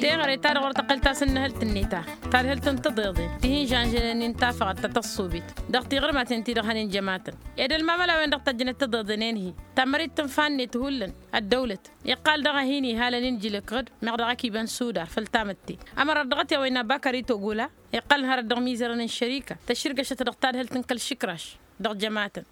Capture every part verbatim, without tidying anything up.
Teɣăre ta dăɣ-wăr tăqqǝl tasǝnnăhălt-net ta tadhǝlt n-tiḍeḍen ti hin-žănžănen n-tafăɣăt ta tăṣṣubit dăɣ-tiɣǝrmaten-ti-dăɣ hănen jămatăn. Ed ălmamăla-wen-dăɣ tăjjănăt tiḍeḍen-en-hi tammărit tǝnfa-net hullan ăddăwlăt iqqal daɣ a hin-ihalăn injǝl ǝkɣǝd meɣ dăɣ-akibăn sudar făll-tamǝtte. Ămărat dăɣ-t i-a-wa innă bakări togula iqqălăn hărăt dăɣ-imizărăn n-šărika tăššǝrgăšăt dăɣ-tadhǝlt n-kăl-išǝkraš dăɣ-jămatăn.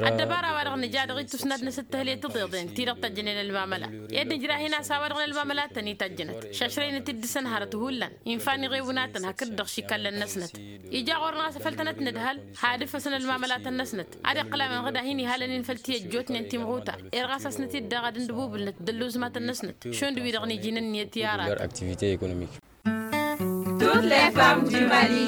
Ăddăbara-wa-dăɣ nǝja dăɣ-ittus n-ad-nǝsǝttăhǝl i-tiḍeḍen ti-dăɣ tăjjănen ălmamăla ed nǝjrah-in a-s a-wa-dăɣ n-ălmamălatăn-i tăjjănăt šašrăynăt-dd dăɣ-săn hărăt hullan. Infa n-iɣewǝnatăn hakd-dăɣ šikallăn-năsnăt ija ɣur-năɣ a-s făl tănăt-nǝdhăl. Had-ǝffăsăn ălmamălatăn-năsnăt ad-iqqǝl a-wen ɣǝd a hin-ihalăn-in făll-ti ăjjootnen timɣutar. Ed ɣas a-s năt-dd-dăɣ ad-ǝndǝbubǝlnăt d-ălluzmatăn-năsnăt šund wi-dăɣ n-iji n-ǝnniyăt i-aratăn. Toutes les femmes du Mali.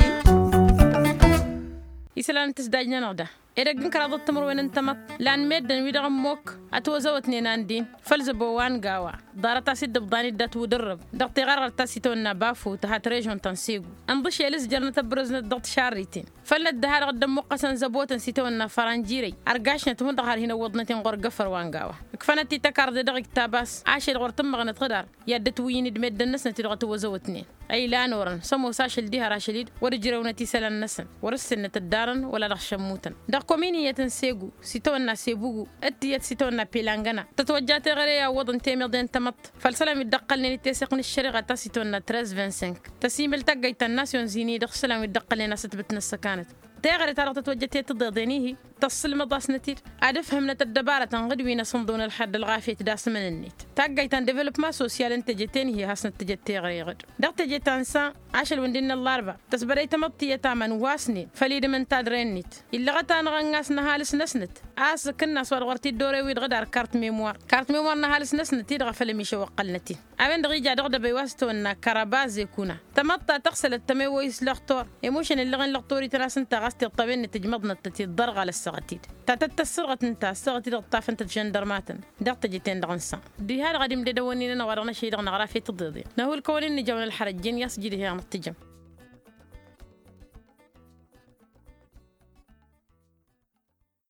Isălan n-tǝsdaj-nănăɣ da edăgg n-kăraḍăt timǝrwen n-tamăḍt lan meddǝn wi-dăɣ ămmok ătwăzăwătnen a n-din făll-zăbo wa n-gawa. Ḍarăt a-s dd-ǝbḍan-dd atwǝdǝrrǝb dăɣ-tiɣărɣărt ta s-itawănna bafu tăhat režon ta n-segu ǝnḍǝšel s-jărnăt ăbrǝznăt dăɣ-tišarriten. Făll-năddăha dăɣ-dd-ămmuqqăsăn zăbotăn s-itawănna făranjirăy ărgašnăt hundăɣ har hin-ăwwăḍnăt-in ɣur-găfăr wa n-gawa. Ǝkfănăt-i tăkarḍe dăɣ-iktab a-s ašăl ɣur-tǝmmăɣnăt ɣǝdar i-ad-dd-ătwǝyyǝn d-meddǝn-năsnăt-i-dăɣ ătwăzăwătnen. Ăylan orăn s-ămoos ašăl diha ar ašăl-dd wăr-ǝjrăwnăt isălan-năsăn wăr-ǝssennăt ăddarăn wăla dăɣ-šămmutăn. Dăɣ-komini iyyăt n-segu s-itawănna sebugu d-tiyyăt s-itawănna pelangăna tătwăjja teɣăre i-awwăḍăn temăḍe n-tamăḍt. Făll-isălan wi dd-ăqqălnen i-teseɣt n-ăššăreɣa ta s-itawănna trez vingt-cinq tăsimăl taggayt ta n-nasyon zini dăɣ-isălan wi dd-ăqqălnen a-s ătbǝtnăt s-ăkanăt. Teɣăre-ta-dăɣ tătwăjjăt i-tiḍeḍen-ihi tăssǝlmăḍ-asnăt-dd ad-ǝfhǝmnăt ăddăbarătăn ɣǝd wi n-asǝnḍǝwăn ălxer d-ălɣafyăt d-asǝmăn-net. Taggayt ta n-devălopma sosyal n-teje-ten-hi hasnăt tǝjăt teɣăre ɣǝd dăɣ-teje ta n-san ašăl wǝndin n-ăllarba tăsbărăy tamăḍt tiyyăt aman wa s-nen făll-idǝm n-tadre-net. Illăɣăt-anăɣ ănn a-s n-ăhalǝs-năsnăt a-s ǝkǝnnas wa dăɣ-wăr t-dd-ore-wi-dăɣ d-ar kart memwar kart memwar n-ăhalǝs-năsnăt-i-dăɣ a făl ămišăwăqqălnăt-in. A-wen-dăɣ ija dăɣ-dăbăy wa s-tăwănna kărabaze kuna tămăḍt ta tăɣsălăt tămewăy s-lăxtor. Emošăn ǝllăɣen lăxtor-ităn a-s ǝnta ɣas tiṭṭăwen-net ǝjmăḍnăt-tăt-dd ărɣal ăssaɣăt-dd ta tăt-tăssărɣăt ǝnta ăssaɣăt-dd ǝṭṭafăn-tăt žăndărmatăn. Dăɣ-teje-ten-dăɣ n-san diha-dăɣ ad-imded ăwănnin-anăɣ wa dăɣ-năšăy-dăɣ năɣraf i-tiḍeḍen năhulkăwăn-in nǝjawăn ălxărăt jen i-a-s jidhen-anăɣ tǝjăm.